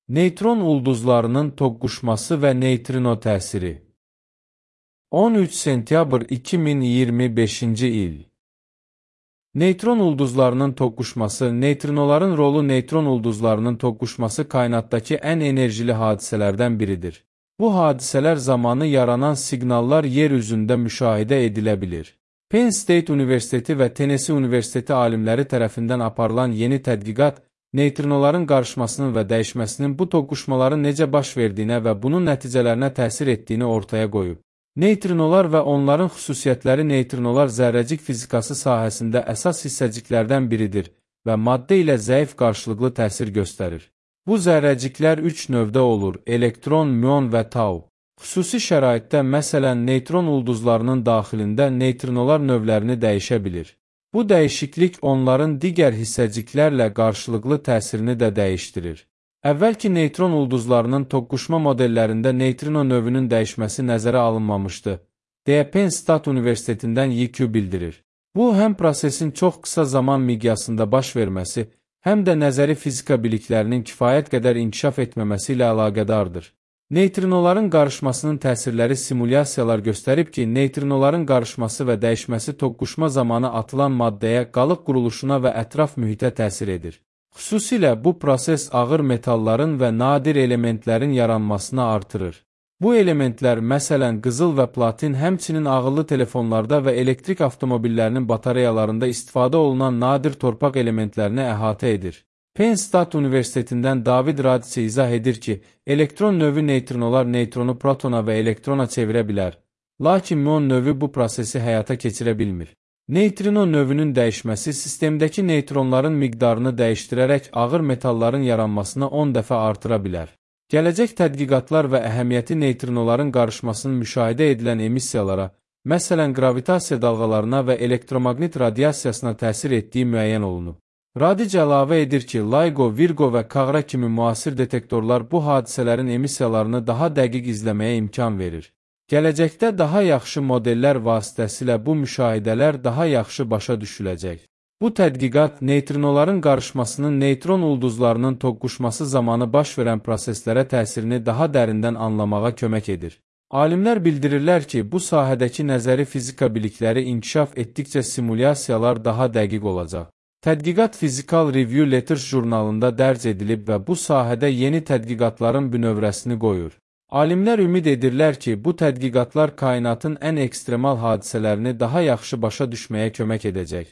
Neytron ulduzlarının toqquşması və neytrino təsiri. 13 sentyabr 2025-ci il. Neytron ulduzlarının toqquşması, neytrinoların rolu. Neytron ulduzlarının toqquşması kainatdakı ən enerjili hadisələrdən biridir. Bu hadisələr zamanı yaranan siqnallar yer üzündə müşahidə edilə bilir. Penn State Universiteti və Tennessee Universiteti alimləri tərəfindən aparılan yeni tədqiqat, neytrinoların qarışmasının və dəyişməsinin bu toqquşmaların necə baş verdiyinə və bunun nəticələrinə təsir etdiyini ortaya qoyub. Neytrinolar və onların xüsusiyyətləri. Neytrinolar zərrəcik fizikası sahəsində əsas hissəciklərdən biridir və maddə ilə zəif qarşılıqlı təsir göstərir. Bu zərrəciklər 3 növdə olur: elektron, müon və tau. Xüsusi şəraitdə, məsələn, neytron ulduzlarının daxilində neytrinolar növlərini dəyişə bilir. Bu dəyişiklik onların digər hissəciklərlə qarşılıqlı təsirini də dəyişdirir. Əvvəlki neytron ulduzlarının toqquşma modellərində neytrino növünün dəyişməsi nəzərə alınmamışdı, deyə Penn State Universitetindən YQ bildirir. Bu, həm prosesin çox qısa zaman miqyasında baş verməsi, həm də nəzəri fizika biliklərinin kifayət qədər inkişaf etməməsi ilə əlaqədardır. Neytrinoların qarışmasının təsirləri. Simulyasiyalar göstərib ki, neytrinoların qarışması və dəyişməsi toqquşma zamanı atılan maddəyə, qalıq quruluşuna və ətraf mühitə təsir edir. Xüsusilə bu proses ağır metalların və nadir elementlərin yaranmasını artırır. Bu elementlər, məsələn, qızıl və platin, həmçinin ağıllı telefonlarda və elektrik avtomobillərinin batareyalarında istifadə olunan nadir torpaq elementlərini əhatə edir. Penn State Universitetindən David Radice izah edir ki, elektron növü neytrinolar neytronu protona və elektrona çevirə bilər, lakin müon növü bu prosesi həyata keçirə bilmir. Neytrino növünün dəyişməsi sistemdəki neytronların miqdarını dəyişdirərək ağır metalların yaranmasını 10 dəfə artıra bilər. Gələcək tədqiqatlar və əhəmiyyəti neytrinoların qarışmasının müşahidə edilən emissiyalara, məsələn, gravitasiya dalğalarına və elektromaqnit radiasiyasına təsir etdiyi müəyyən olunub. Radice əlavə edir ki, LIGO, Virgo və Kagra kimi müasir detektorlar bu hadisələrin emissiyalarını daha dəqiq izləməyə imkan verir. Gələcəkdə daha yaxşı modellər vasitəsilə bu müşahidələr daha yaxşı başa düşüləcək. Bu tədqiqat neytrinoların qarışmasının neytron ulduzlarının toqquşması zamanı baş verən proseslərə təsirini daha dərindən anlamağa kömək edir. Alimlər bildirirlər ki, bu sahədəki nəzəri fizika bilikləri inkişaf etdikcə simulyasiyalar daha dəqiq olacaq. Tədqiqat Physical Review Letters jurnalında dərc edilib və bu sahədə yeni tədqiqatların bünövrəsini qoyur. Alimlər ümid edirlər ki, bu tədqiqatlar kainatın ən ekstremal hadisələrini daha yaxşı başa düşməyə kömək edəcək.